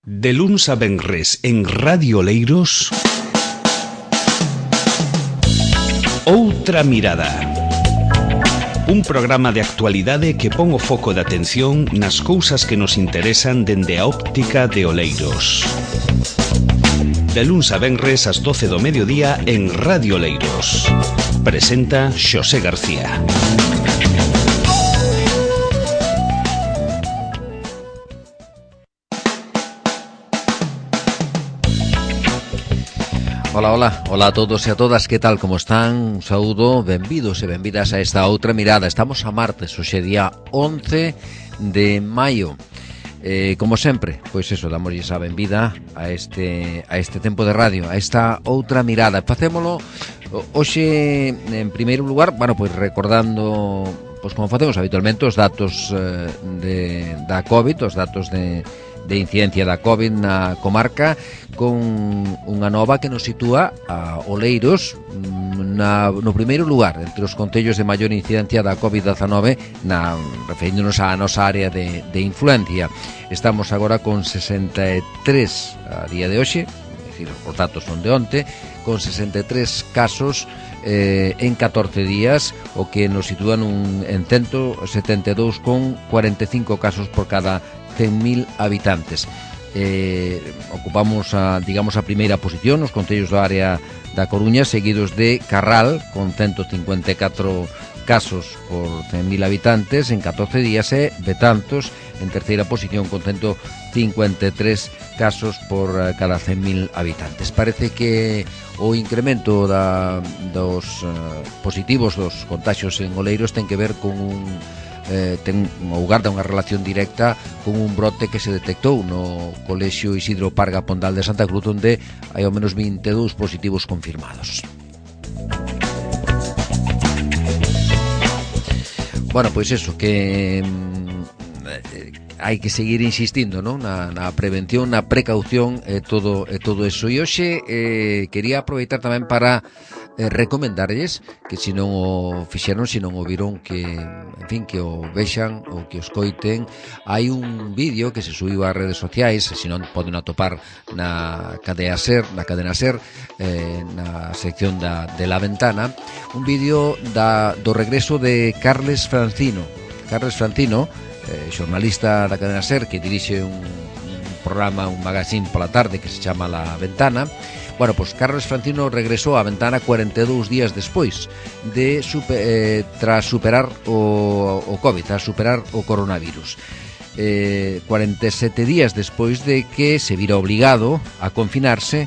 De luns a venres en Radio Oleiros, Outra Mirada. Un programa de actualidade que pon o foco de atención nas cousas que nos interesan dende a óptica de Oleiros. De luns a venres ás 12 do mediodía en Radio Oleiros. Presenta Xosé García. Hola a todos e a todas, que tal, como están? Un saúdo, benvidos e benvidas a esta outra mirada. Estamos a martes, hoxe día 11 de maio. Como sempre, pois eso, damoslle a benvida a este tempo de radio, a esta outra mirada. Facémolo hoxe, en primeiro lugar, pois recordando, pois como facemos habitualmente, os datos da COVID, os datos de incidencia da COVID na comarca, con unha nova que nos sitúa a Oleiros no primeiro lugar entre os concellos de maior incidencia da COVID-19, referíndonos á nosa área de influencia. Estamos agora con 63 a día de hoxe, é dicir, os datos son de onte, con 63 casos en 14 días, o que nos sitúa en 172,45 casos por cada 100.000 habitantes. Ocupamos a primeira posición nos concellos da área da Coruña, seguidos de Carral con 154 casos por 100.000 habitantes en 14 días, e Betanzos en terceira posición con 153 casos por cada 100.000 habitantes. Parece que o incremento dos positivos, dos contaxios en Oleiros, ten que ver con guarda unha relación directa con un brote que se detectou no Colexio Isidro Parga Pondal de Santa Cruz, onde hai ao menos 22 positivos confirmados. Pois eso, que hai que seguir insistindo, non? Na prevención, na precaución e todo eso. E hoxe quería aproveitar tamén para recomendarlles que se non o fixeron, se non o viron, que o vexan ou que o escoiten. Hai un vídeo que se subiu ás redes sociais, se non poden atopar na cadena SER, na sección de La Ventana, un vídeo do regreso de Carles Francino, xornalista da cadena SER, que dirixe un programa, un magazine pola tarde que se chama La Ventana. Pois Carles Francino regresou á Ventana 42 días despois tras superar o COVID, tras superar o coronavirus. 47 días despois de que se vira obligado a confinarse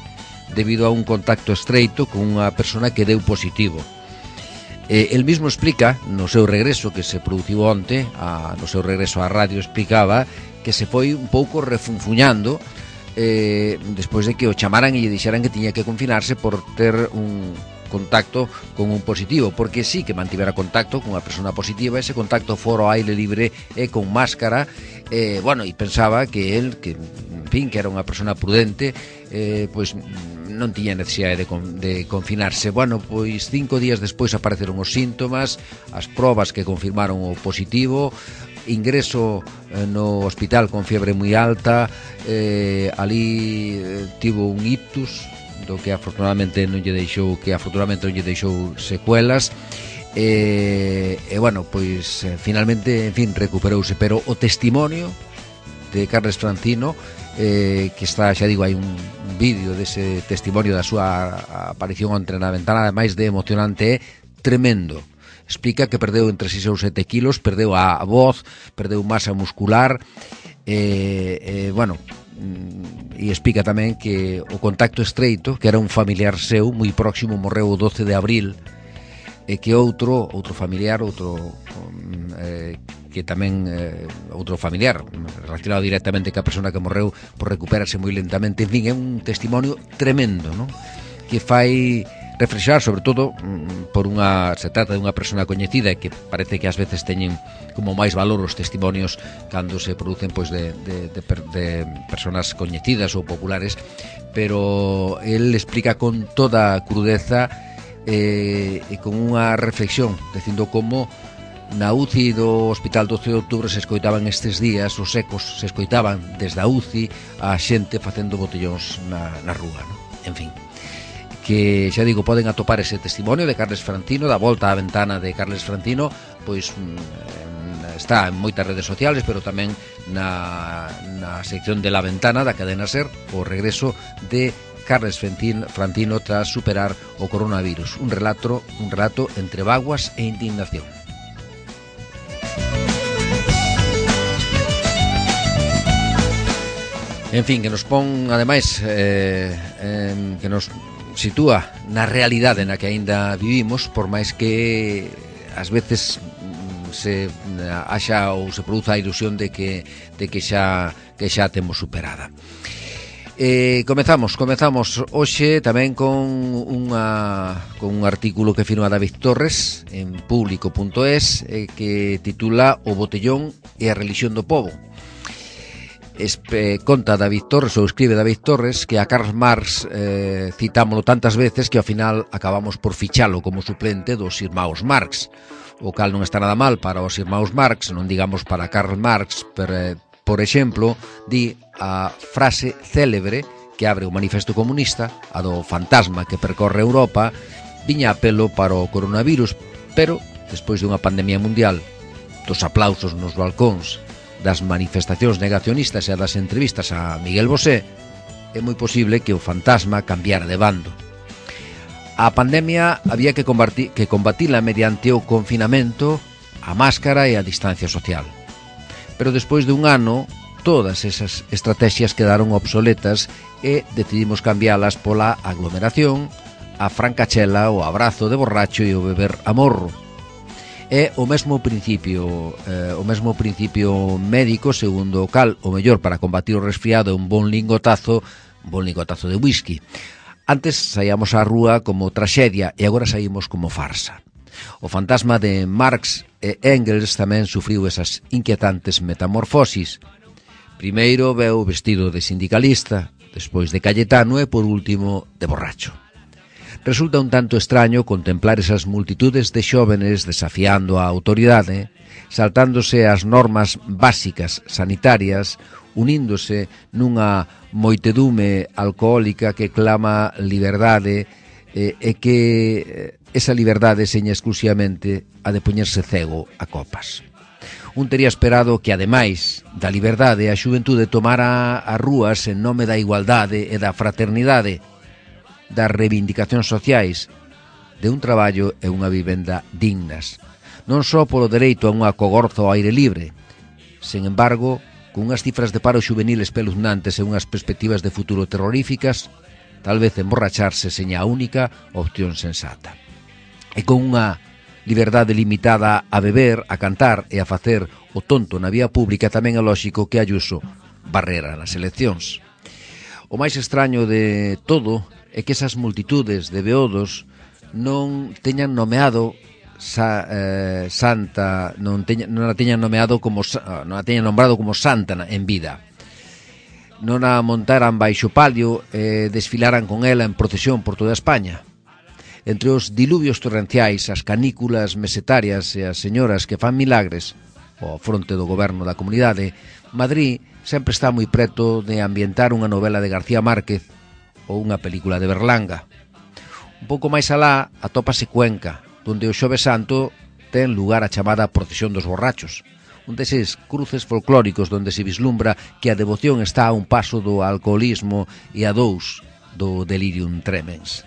debido a un contacto estreito con unha persona que deu positivo. El mismo explica, no seu regreso que se produciu onte, no seu regreso á radio, explicaba que se foi un pouco refunfuñando despois de que o chamaran e lle dixeran que tiña que confinarse por ter un contacto con un positivo, porque sí que mantivera contacto con unha persona positiva, ese contacto fora ao aire libre e con máscara, e pensaba que el, que era unha persona prudente, pois non tiña necesidade de confinarse. Pois 5 días despois apareceron os síntomas, as probas que confirmaron o positivo, ingreso no hospital con fiebre moi alta, ali tivo un ictus do que afortunadamente non lle deixou secuelas, pois finalmente, recuperouse. Pero o testimonio de Carles Francino, que está, xa digo, hai un vídeo dese testimonio da súa aparición onte na Ventana, ademais de emocionante, é tremendo. Explica que perdeu entre 6 ou 7 kilos, perdeu a voz, perdeu masa muscular, e explica tamén que o contacto estreito, que era un familiar seu moi próximo, morreu o 12 de abril, e que outro familiar, que tamén outro familiar relacionado directamente ca persona que morreu, por recuperarse moi lentamente. En fin, é un testimonio tremendo, non? Que fai reflexionar, sobre todo, se trata de unha persona coñecida, e que parece que ás veces teñen como máis valor os testimonios cando se producen pois de personas coñecidas ou populares, pero el explica con toda crudeza e con unha reflexión, dicindo como Na UCI do Hospital 12 de Outubro se escoitaban estes días, os ecos se escoitaban desde a UCI a xente facendo botellóns na rúa, non? En fin, que xa digo, poden atopar ese testimonio de Carles Francino, da volta á ventana de Carles Francino, pois está en moitas redes sociales, pero tamén na sección de La Ventana da cadena SER, o regreso de Carles Francino tras superar o coronavirus, un relato entre vaguas e indignación. En fin, que nos pon, ademais, que nos sitúa na realidade na que aínda vivimos, por máis que ás veces se haxa ou se produza a ilusión de que xa temos superada. Comezamos hoxe tamén con un artículo que firma David Torres en público.es que titula O botellón e a relixión do pobo. Conta David Torres, ou escribe David Torres, que a Karl Marx citámolo tantas veces que ao final acabamos por fichalo como suplente dos irmãos Marx, o cal non está nada mal para os irmãos Marx, non digamos para Karl Marx, por exemplo, di a frase célebre que abre o Manifesto Comunista, a do fantasma que percorre Europa, viña a pelo para o coronavirus, pero despois dunha pandemia mundial, dos aplausos nos balcóns, das manifestacións negacionistas e das entrevistas a Miguel Bosé, é moi posible que o fantasma cambiara de bando. A pandemia había que combatila mediante o confinamento, a máscara e a distancia social. Pero despois de un ano, todas esas estrategias quedaron obsoletas e decidimos cambialas pola aglomeración, a francachela, o abrazo de borracho e o beber a morro. É o mesmo principio médico segundo o cal o mellor para combatir o resfriado é un bon lingotazo de whisky. Antes saíamos á rúa como traxedia e agora saímos como farsa. O fantasma de Marx e Engels tamén sufriu esas inquietantes metamorfosis. Primeiro veu vestido de sindicalista, despois de Cayetano e por último de borracho. Resulta un tanto extraño contemplar esas multitudes de xóvenes desafiando a autoridade, saltándose as normas básicas sanitarias, uníndose nunha moitedume alcohólica que clama liberdade e que esa liberdade seña exclusivamente a de poñerse cego a copas. Un tería esperado que, ademais da liberdade, a xuventude tomara as rúas en nome da igualdade e da fraternidade, das reivindicacións sociais, de un traballo e unha vivenda dignas, non só polo dereito a unha cogorza ao aire libre. Sen embargo, con unhas cifras de paro juvenil espeluznantes e unhas perspectivas de futuro terroríficas, tal vez emborracharse seña a única opción sensata. E con unha liberdade limitada a beber, a cantar e a facer o tonto na vía pública, tamén é lóxico que Ayuso barrera nas eleccións. O máis extraño de todo é que esas multitudes de beodos non teñan nomeado Santa, non a teñan nombrado como santa en vida. Non a montaran baixo palio e desfilaran con ela en procesión por toda España. Entre os diluvios torrenciais, as canículas mesetarias e as señoras que fan milagres ao fronte do goberno da comunidade, Madrid sempre está moi preto de ambientar unha novela de García Márquez ou unha película de Berlanga. Un pouco máis alá atópase Cuenca, onde o Xoves Santo ten lugar a chamada Procesión dos Borrachos, un deses cruces folclóricos onde se vislumbra que a devoción está a un paso do alcoholismo e a 2 do delirium tremens.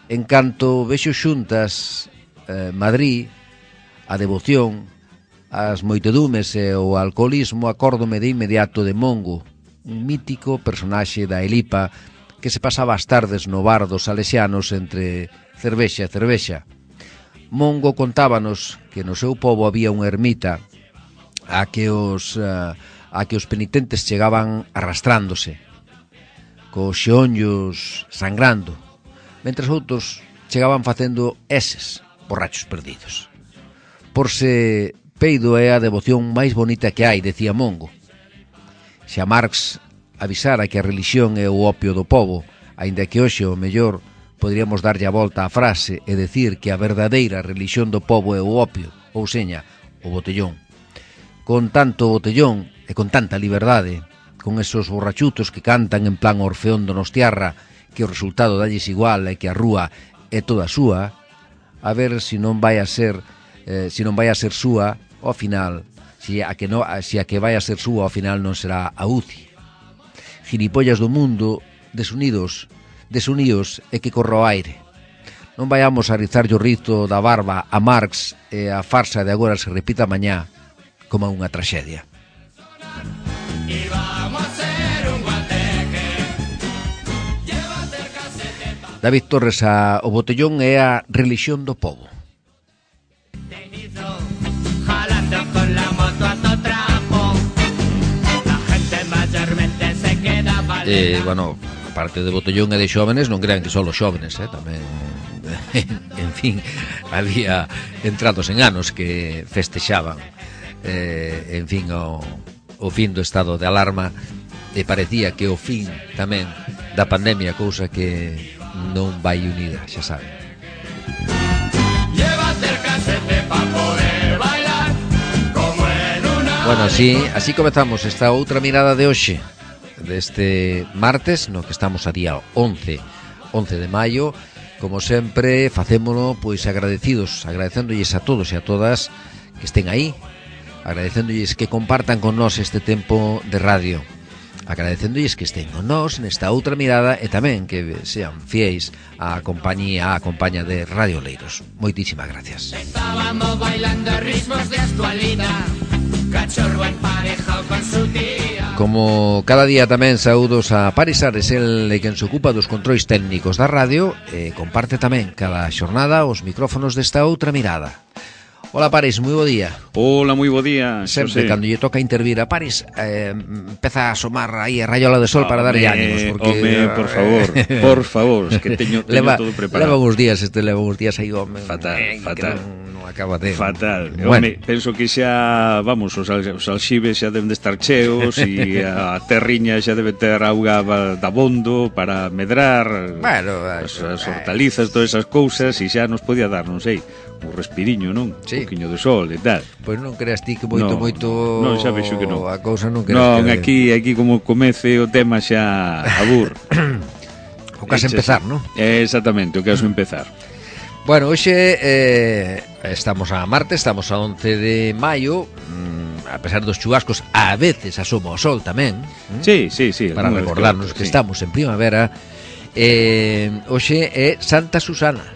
En canto vexo xuntas Madrid, a devoción, as moitedumes e o alcoholismo, acórdome de inmediato de Mongo, un mítico personaxe da Elipa que se pasaba as tardes no bar dos salesianos entre cervexa e cervexa. Mongo contábanos que no seu pobo había unha ermita a que os penitentes chegaban arrastrándose, cos xeonllos sangrando, mentres outros chegaban facendo eses, borrachos perdidos. Por se peido é a devoción máis bonita que hai, decía Mongo. Xa Marx avisara que a religión é o opio do pobo, aínda que hoxe o mellor podríamos darlle a volta á frase e decir que a verdadeira religión do pobo é o opio, ou seña, o botellón. Con tanto botellón e con tanta liberdade, con esos borrachutos que cantan en plan Orfeón Donostiarra, que o resultado dalles igual e que a rúa é toda súa, a ver se non vai a ser súa ao final, se a que vai a ser súa ao final non será a UCI. Gilipollas do mundo, desunidos e que corra o aire. Non vayamos a rizar o rizo da barba a Marx e a farsa de agora se repita mañá como unha traxedia. David Torres, o botellón é a relixión do pobo. Bueno, aparte de botellón e de xóvenes, non crean que só os xóvenes, tamén, en fin, había entrados en anos que festexaban, en fin, o fin do estado de alarma, e parecía que o fin tamén da pandemia, cousa que non vai unida, xa saben. Bueno, así comezamos esta outra mirada de hoxe, deste martes, no que estamos a día 11 de maio. Como sempre, facémolo pois agradecéndolles a todos e a todas que estén aí, agradecéndolles que compartan con nós este tempo de radio, agradecéndolles que estén con nós nesta outra mirada e tamén que sean fiéis á compañía de Radio Oleiros. Moitísimas gracias. Estábamos bailando ritmos de actualidad, cachorro emparejado con su tía. Como cada día tamén saúdos a Paris Ares, el quen se ocupa dos controis técnicos da radio e comparte tamén cada xornada os micrófonos desta outra mirada. Hola Paris, moi bo día. Hola, moi bo día. Sempre, cando lle toca intervir a Paris, empeza a asomar aí a rayola de sol para darlle ánimos, porque... por favor, es que teño todo preparado. Leva uns días aí, home. Fatal. Non acaba de... Fatal. Bueno. Home, penso que xa, vamos, os alxibes xa deben de estar cheos e a terriña xa debe ter auga dabondo para medrar, bueno, as hortalizas, todas esas cousas, e xa nos podía dar, non sei, un respiriño, non? Sí. Un poquinho de sol e tal. Pois non creas ti que moito non, xa vexo que non. A cousa non creas non, que... aquí como comece o tema xa abur. O caso empezar, non? Exactamente, o caso empezar. Bueno, hoxe estamos a martes, estamos a 11 de maio, a pesar dos chubascos, a veces asoma o sol tamén. Sí. Para recordarnos que estamos en primavera. Hoxe é Santa Susana.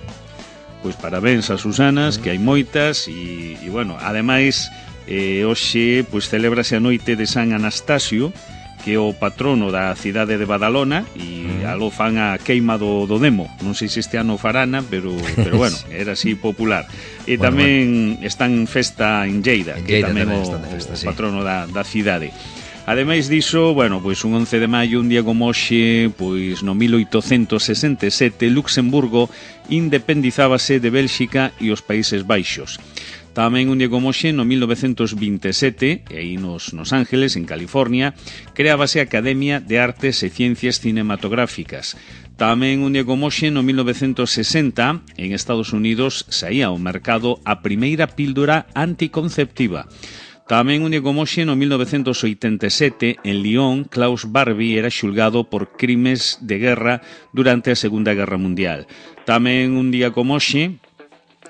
Pois parabéns a Susanas, que hai moitas e bueno, ademais hoxe pois celébrase a noite de San Anastasio, que é o patrono da cidade de Badalona, e aló fan a queima do demo. Non sei se este ano farana, pero bueno, era así popular. E tamén están festa en Lleida, que tamén o patrono da cidade. Ademais diso, bueno, pois un 11 de maio, un día como hoxe, pois no 1867, Luxemburgo independizábase de Bélxica e os Países Baixos. Tamén un día como hoxe, no 1927, e aí nos Ángeles, en California, creábase a Academia de Artes e Ciencias Cinematográficas. Tamén un día como hoxe, no 1960, en Estados Unidos, saía ao mercado a primeira píldora anticonceptiva. Tamén un día como hoxe, no 1987, en Lyon, Klaus Barbie era xulgado por crimes de guerra durante a Segunda Guerra Mundial. Tamén un día como hoxe,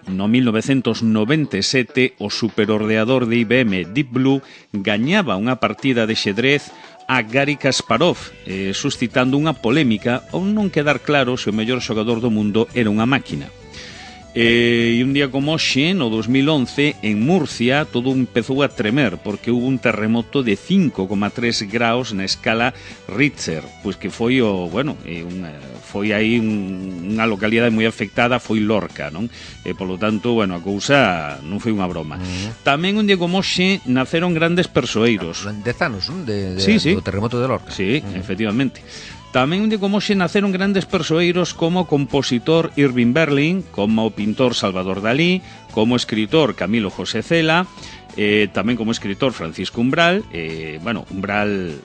no 1997, o superordenador de IBM Deep Blue gañaba unha partida de xedrez a Garry Kasparov, suscitando unha polémica ao non quedar claro se o mellor xogador do mundo era unha máquina. E un día como hoxe, no 2011, en Murcia, todo empezou a tremer porque hubo un terremoto de 5,3 graus na escala Richter, pois que foi foi aí unha localidade moi afectada, foi Lorca, non? E polo tanto, bueno, a cousa non foi unha broma. Tamén un día como hoxe naceron grandes persoeiros. 10 anos, non? Sí. Do terremoto de Lorca. Sí, efectivamente. Tamén un día como hoxe naceron grandes persoeiros como o compositor Irving Berlin, como o pintor Salvador Dalí, como o escritor Camilo José Cela, tamén como escritor Francisco Umbral, Umbral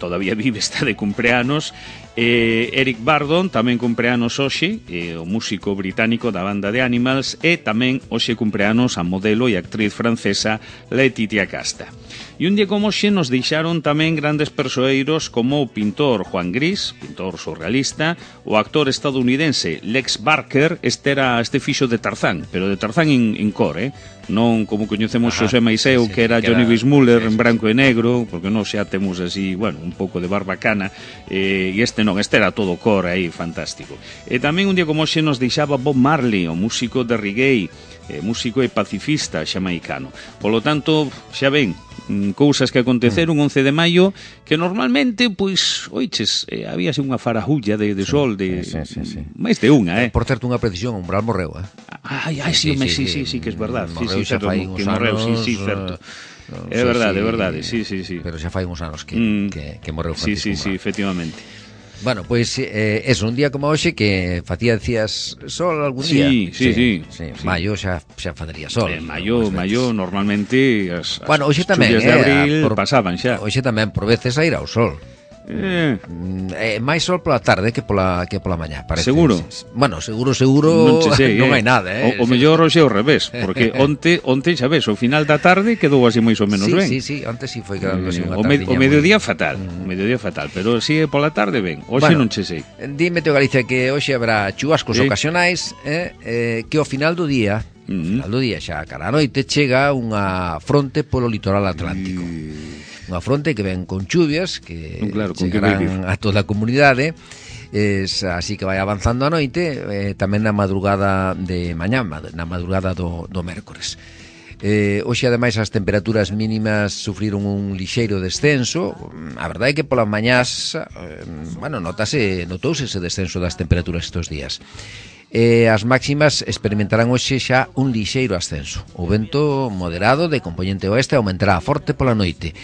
todavía vive, está de cumpleanos. Eric Burdon tamén cumpleanos hoxe, o músico británico da banda de Animals, e tamén hoxe cumpleanos a modelo e actriz francesa Letitia Casta. E un día como hoxe nos deixaron tamén grandes persoeiros como o pintor Juan Gris, pintor surrealista, o actor estadounidense Lex Barker, este fixo de Tarzán, pero de Tarzán en cor, non como coñecemos Xosé Maiseu, que era Johnny Weissmuller en branco e negro, porque non xa temos así, un pouco de barbacana, e este non, este era todo cor aí, fantástico. E tamén un día como hoxe nos deixaba Bob Marley, o músico de reggae, músico e pacifista xamaicano. Polo tanto, xa ven, cousas que aconteceron 11 de maio que normalmente, pois, oiches, habíase unha farajulla de sol de máis de unha, Por certo, unha precisión, Umbral morreu, sí, que é verdad. Morreu xa fai uns anos. Sí, certo. É verdade, sí. Pero xa fai uns anos que morreu Francisco Umbral. Sí, efectivamente. Bueno, pois eso, un día como hoxe que decías sol algún día. Sí. Maio xa facería sol. Maio normalmente as hoxe tamén, de abril pasaban xa. Hoxe tamén por veces a ir ao sol. Máis sol pola tarde que pola mañá, parece. Seguro? Bueno, seguro non hai nada, O mellor hoxe ao revés, porque onte xa ves, o final da tarde quedou así máis ou menos ben. Sí, onte sí foi quedando así unha tardiña. O mediodía fatal, pero si pola tarde ben. Hoxe non che sei. Dime, Teo Galicia, que hoxe habrá chuvascos ocasionais, que ao final do día, xa cara a noite, chega unha fronte polo litoral atlántico. Unha fronte que ven con chuvias que chegarán a toda a comunidade, así que vai avanzando a noite, tamén na madrugada de mañá, na madrugada do mércores. Hoxe, ademais, as temperaturas mínimas sufriron un lixeiro descenso. A verdade é que polas mañás notouse ese descenso das temperaturas estes días. As máximas experimentarán hoxe xa un lixeiro ascenso. O vento moderado de compoñente oeste aumentará forte pola noite.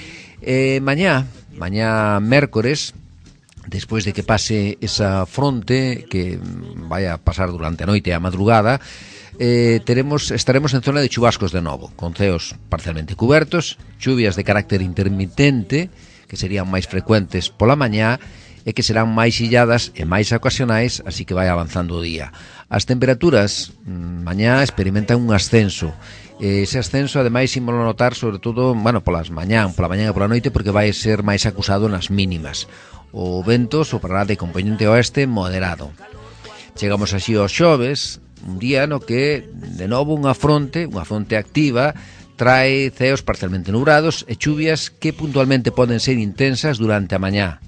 Mañá mércores, despois de que pase esa fronte que vai a pasar durante a noite e a madrugada, estaremos en zona de chubascos de novo, con ceos parcialmente cubertos, chuvias de carácter intermitente, que serían máis frecuentes pola mañá, e que serán máis illadas e máis ocasionais, así que vai avanzando o día. As temperaturas mañá experimentan un ascenso. Ese ascenso, ademais, ímolo notar sobre todo, pola mañá e pola noite, porque vai ser máis acusado nas mínimas. O vento soprará de compoñente oeste moderado. Chegamos así aos xoves, un día no que, de novo, unha fronte activa, trae ceos parcialmente nubrados e chuvias que puntualmente poden ser intensas durante a mañá.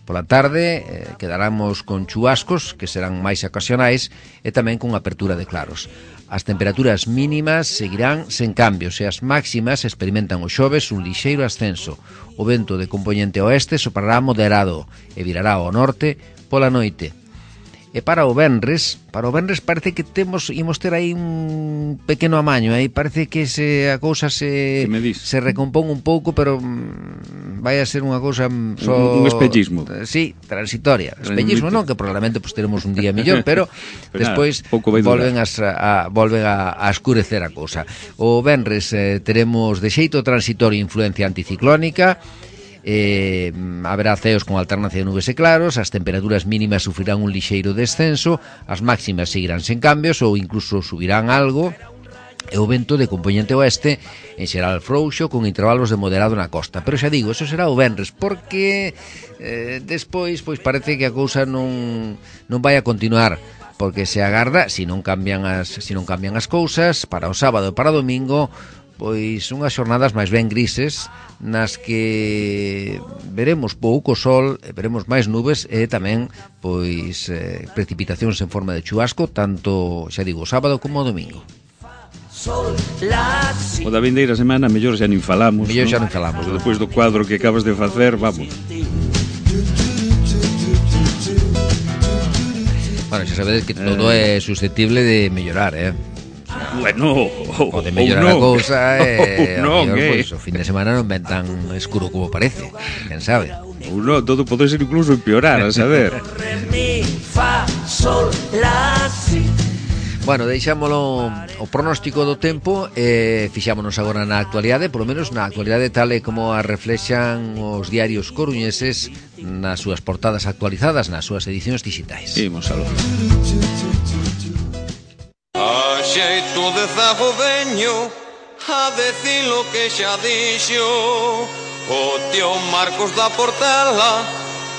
Pola tarde quedaramos con chubascos que serán máis ocasionais e tamén con apertura de claros. As temperaturas mínimas seguirán sen cambios e as máximas experimentan os xoves un lixeiro ascenso. O vento de compoñente oeste soprará moderado e virará ao norte pola noite. E para o venres parece que imos ter aí un pequeno amaño, aí parece que a cousa se recompón un pouco, pero vai a ser unha cousa un espellismo. Sí, transitoria. Espellismo non, que probablemente teremos un día mellor, pero despois volven a escurecer a cousa. O venres teremos de xeito transitorio influencia anticiclónica. Haberá ceos con alternancia de nubes e claros, as temperaturas mínimas sufrirán un lixeiro descenso, as máximas seguirán sen cambios ou incluso subirán algo, e o vento de compoñente oeste en xeral frouxo con intervalos de moderado na costa. Pero xa digo, eso será o venres, porque despois parece que a cousa non vai a continuar, porque se agarda, se non cambian as cousas, para o sábado e para o domingo, pois unhas xornadas máis ben grises, nas que veremos pouco sol, veremos máis nubes e tamén pois precipitacións en forma de chubasco, tanto, xa digo, sábado como o domingo. O da vindeira semana mellor xa nin falamos. Despois do cuadro que acabas de facer, vamos. Bueno, xa sabedes que todo é susceptible de mellorar, Bueno, pode mellorar a cousa pois, o fin de semana non ven tan escuro como parece, quen sabe. Ou non, todo pode ser incluso empeorar, a saber. Bueno, deixámolo o pronóstico do tempo e fixámonos agora na actualidade, polo menos na actualidade tal e como a reflexan os diarios coruñeses nas súas portadas actualizadas, nas súas edicións digitais. Imos aló. A xeito de zago veño a decir lo que xa dixo o tío Marcos da Portela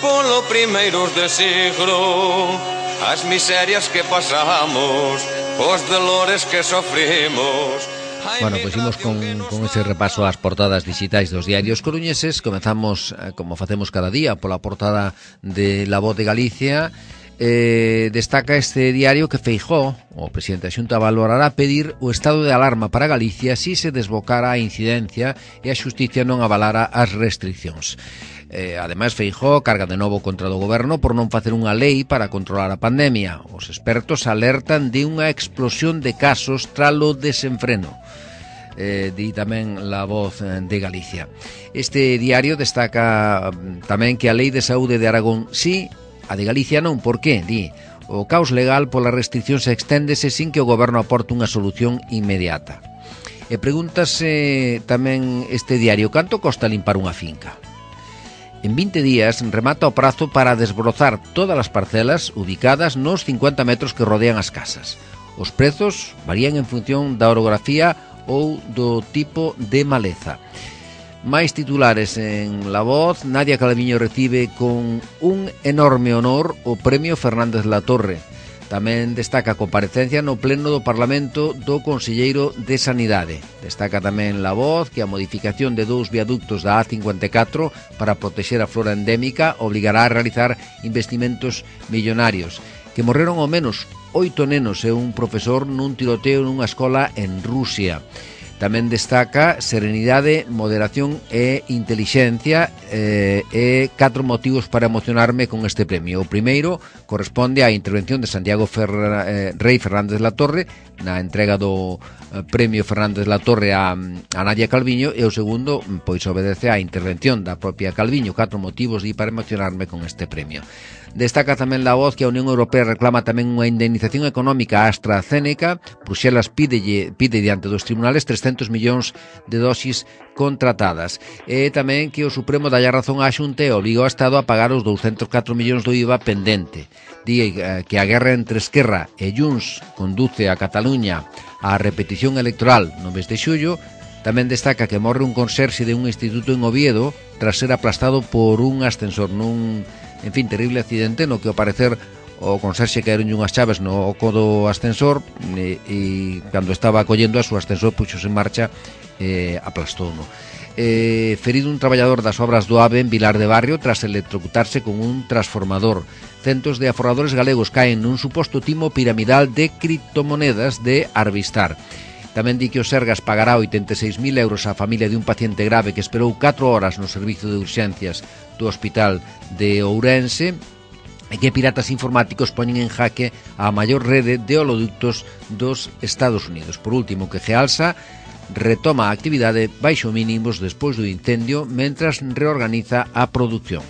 polo primeiros de siglo. As miserias que pasamos, os dolores que sofrimos. Bueno, pois imos con ese repaso ás portadas digitais dos diarios coruñeses. Comezamos, como facemos cada día, pola portada de La Voz de Galicia. Destaca este diario que Feijóo, o presidente da Xunta, valorará pedir o estado de alarma para Galicia si se desbocara a incidencia e a xusticia non avalara as restriccións. Ademais, Feijóo carga de novo contra o goberno por non facer unha lei para controlar a pandemia. Os expertos alertan de unha explosión de casos tralo desenfreno. Di tamén La Voz de Galicia. Este diario destaca tamén que a Lei de Saúde de Aragón sí, a de Galicia non. Por qué? Di, o caos legal pola restricción se exténdese sin que o goberno aporte unha solución inmediata. E pregúntase tamén este diario, canto costa limpar unha finca? En 20 días remata o prazo para desbrozar todas as parcelas ubicadas nos 50 metros que rodean as casas. Os prezos varían en función da orografía ou do tipo de maleza. Máis titulares en La Voz. Nadia Calviño recibe con un enorme honor o Premio Fernández Latorre. Tamén destaca a comparecencia no pleno do Parlamento do Conselleiro de Sanidade. Destaca tamén La Voz que a modificación de 2 viaductos da A54 para protexer a flora endémica obligará a realizar investimentos millonarios. Que morreron ao menos 8 nenos e un profesor nun tiroteo nunha escola en Rusia. Tamén destaca serenidade, moderación e intelixencia e 4 motivos para emocionarme con este premio. O primeiro corresponde á intervención de Santiago Rey Fernández Latorre na entrega do Premio Fernández Latorre a Nadia Calviño, e o segundo pois obedece á intervención da propia Calviño. 4 motivos para emocionarme con este premio. Destaca tamén La Voz que a Unión Europea reclama tamén unha indemnización económica a AstraZeneca. Bruxelas pide diante dos tribunales 300 millóns de dosis contratadas. E tamén que o Supremo dalle razón á Xunta e obliga ao Estado a pagar os 204 millóns do IVA pendente. Di que a guerra entre Esquerra e Junts conduce a Cataluña á repetición electoral no mes de xullo. Tamén destaca que morre un conserxe de un instituto en Oviedo tras ser aplastado por un ascensor nun, en fin, terrible accidente no que ao parecer o conserxe caeron unhas chaves no oco do ascensor e cando estaba acollendo a súa ascensor puxose en marcha e aplastou-no. Ferido un traballador das obras do AVE en Vilar de Barrio tras electrocutarse con un transformador. Centos de aforradores galegos caen nun suposto timo piramidal de criptomonedas de Arbistar. Tamén di que o Sergas pagará 86.000 euros á familia de un paciente grave que esperou 4 horas no servizo de urxencias do Hospital de Ourense e que piratas informáticos poñen en jaque a maior rede de oleoductos dos Estados Unidos. Por último, que Gealsa retoma a actividade baixo mínimos despois do incendio mentras reorganiza a produción.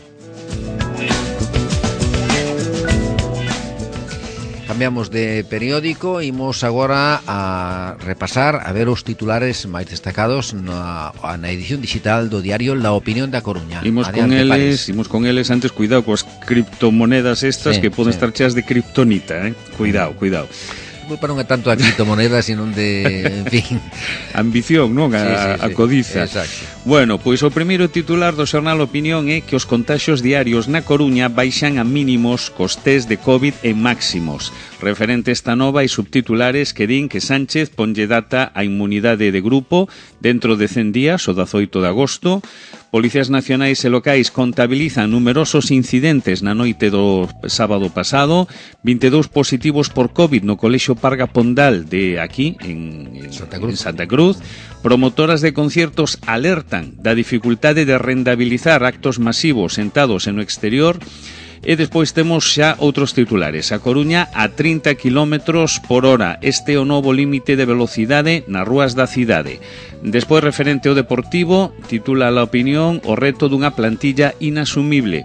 Cambiamos de periódico, imos agora a repasar a ver os titulares máis destacados na edición digital do diario La Opinión da Coruña. Imos con eles antes, cuidado coas criptomonedas estas, que poden estar cheas de kriptonita, cuidado. Para non é tanto a criptomoneda, sino de, en fin, ambición, non? A codiza. Exacto. Bueno, pois o primeiro titular do xornal Opinión é que os contaxios diarios na Coruña baixan a mínimos cos test de COVID en máximos. Referente esta nova e subtitulares que din que Sánchez ponlle data a inmunidade de grupo dentro de 100 días, o 18 de agosto. Policías nacionais e locais contabilizan numerosos incidentes na noite do sábado pasado, 22 positivos por COVID no Colexio Parga Pondal de aquí, en Santa Cruz. Promotoras de conciertos alertan da dificultade de rentabilizar actos masivos sentados en o exterior. E despois temos xa outros titulares. A Coruña a 30 km por hora. Este é o novo límite de velocidade nas rúas da cidade. Despois, referente ao deportivo, titula La Opinión o reto dunha plantilla inasumible.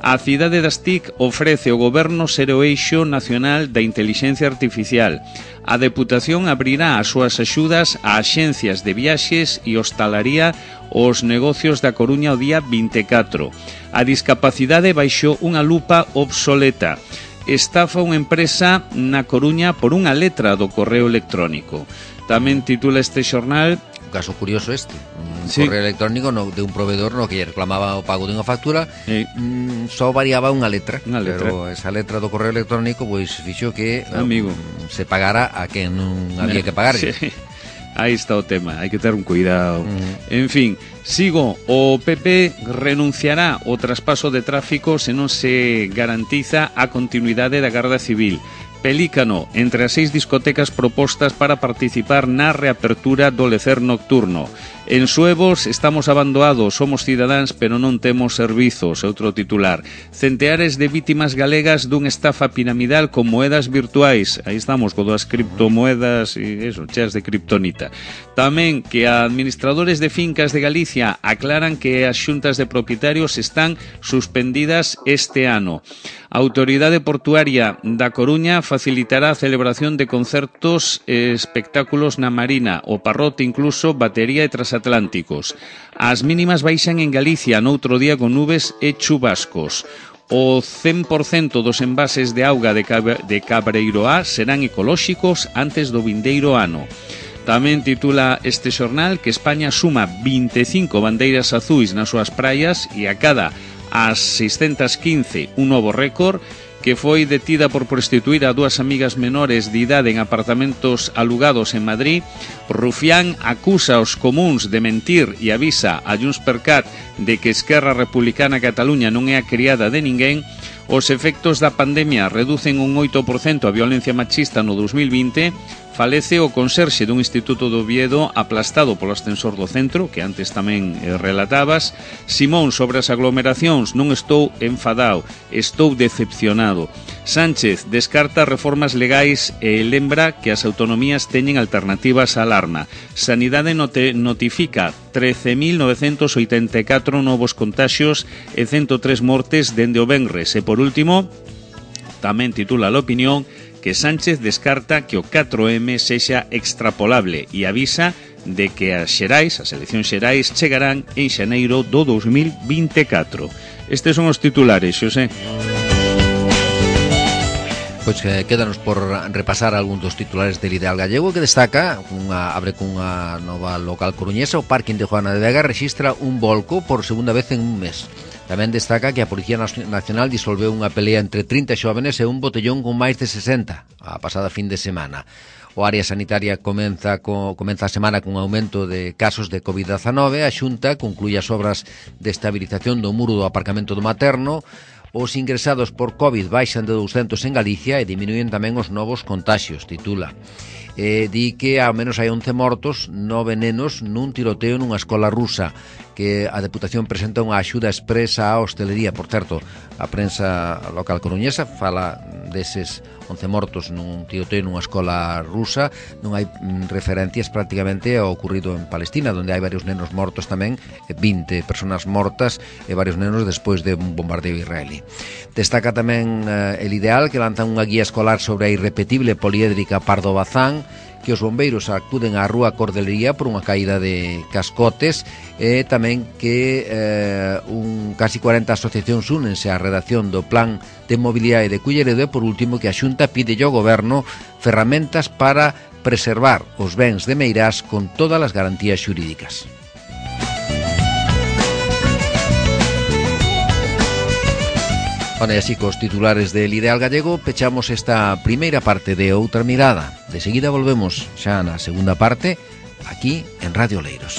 A cidade das TIC ofrece ao goberno ser o eixo nacional da intelixencia artificial. A Deputación abrirá as súas axudas a axencias de viaxes e hostalaría os negocios da Coruña o día 24. A discapacidade baixou unha lupa obsoleta. Estafa unha empresa na Coruña por unha letra do correo electrónico. Tamén titula este xornal... Un caso curioso este, correo electrónico de un proveedor no que reclamaba o pago dunha factura, só variaba unha letra, pero esa letra do correo electrónico pois fixo que se pagara a quen non había que pagar. Sí. Aí está o tema, hai que ter un cuidado. En fin, sigo, o PP renunciará ao traspaso de tráfico se non se garantiza a continuidade da Garda Civil. Pelícano, entre as 6 discotecas propostas para participar na reapertura do lecer nocturno. En Suevos estamos abandoados, somos cidadáns, pero non temos servizos, outro titular. Centeares de vítimas galegas dun estafa piramidal con moedas virtuais. Aí estamos, con das criptomoedas e eso, cheas de kriptonita. Tamén que administradores de fincas de Galicia aclaran que as xuntas de propietarios están suspendidas este ano. A Autoridade Portuaria da Coruña facilitará a celebración de concertos e espectáculos na Marina, o Parrote incluso batería e transatlánticos. As mínimas baixan en Galicia noutro día con nubes e chubascos. O 100% dos envases de auga de Cabreiroá serán ecolóxicos antes do vindeiro ano. Tamén titula este xornal que España suma 25 bandeiras azuis nas súas praias e a cada as 615 un novo récord, que foi detida por prostituir a 2 amigas menores de idade en apartamentos alugados en Madrid. Rufián acusa aos comuns de mentir e avisa a Juntspercat de que Esquerra Republicana Cataluña non é a criada de ninguén. Os efectos da pandemia reducen un 8% a violencia machista no 2020. Falece o conserxe dun instituto do Oviedo aplastado polo ascensor do centro, que antes tamén relatabas. Simón, sobre as aglomeracións, non estou enfadado, estou decepcionado. Sánchez descarta reformas legais e lembra que as autonomías teñen alternativas á alarma. Sanidade notifica 13.984 novos contaxios e 103 mortes dende o venres. E por último, tamén titula a Opinión que Sánchez descarta que o 4M sexa extrapolable e avisa de que as eleccións xerais chegarán en xaneiro do 2024. Estes son os titulares, Xosé. Pois quédanos por repasar algúns dos titulares del Ideal Gallego, que destaca, abre cunha nova local coruñesa, o Parking de Juana de Vega rexistra un volco por segunda vez en un mes. Tamén destaca que a Policía Nacional disolveu unha pelea entre 30 xóvenes e un botellón con máis de 60 a pasada fin de semana. O área sanitaria comeza a semana cun aumento de casos de COVID-19. A Xunta conclúe as obras de estabilización do muro do aparcamento do Materno. Os ingresados por COVID baixan de 200 en Galicia e diminúen tamén os novos contaxios, titula. Di que ao menos hai 11 mortos, 9 nenos nun tiroteo nunha escola rusa, que a Deputación presenta unha axuda expresa á hostelería. Por certo, a prensa local coruñesa fala deses 11 mortos nun tiroteo nunha escola rusa. Non hai referencias prácticamente ao ocurrido en Palestina, onde hai varios nenos mortos tamén, 20 personas mortas e varios nenos despois de un bombardeo israelí. Destaca tamén El Ideal, que lanzan unha guía escolar sobre a irrepetible poliédrica Pardo Bazán, que os bombeiros acuden á rúa Cordelería por unha caída de cascotes, e tamén que casi 40 asociacións únense á redacción do Plan de Mobilidade de Culleredo. E por último, que a Xunta pide ao Goberno ferramentas para preservar os bens de Meirás con todas as garantías xurídicas. Bueno, e así cos titulares del Ideal Gallego pechamos esta primeira parte de Outra Mirada. De seguida volvemos xa na segunda parte aquí en Radio Oleiros.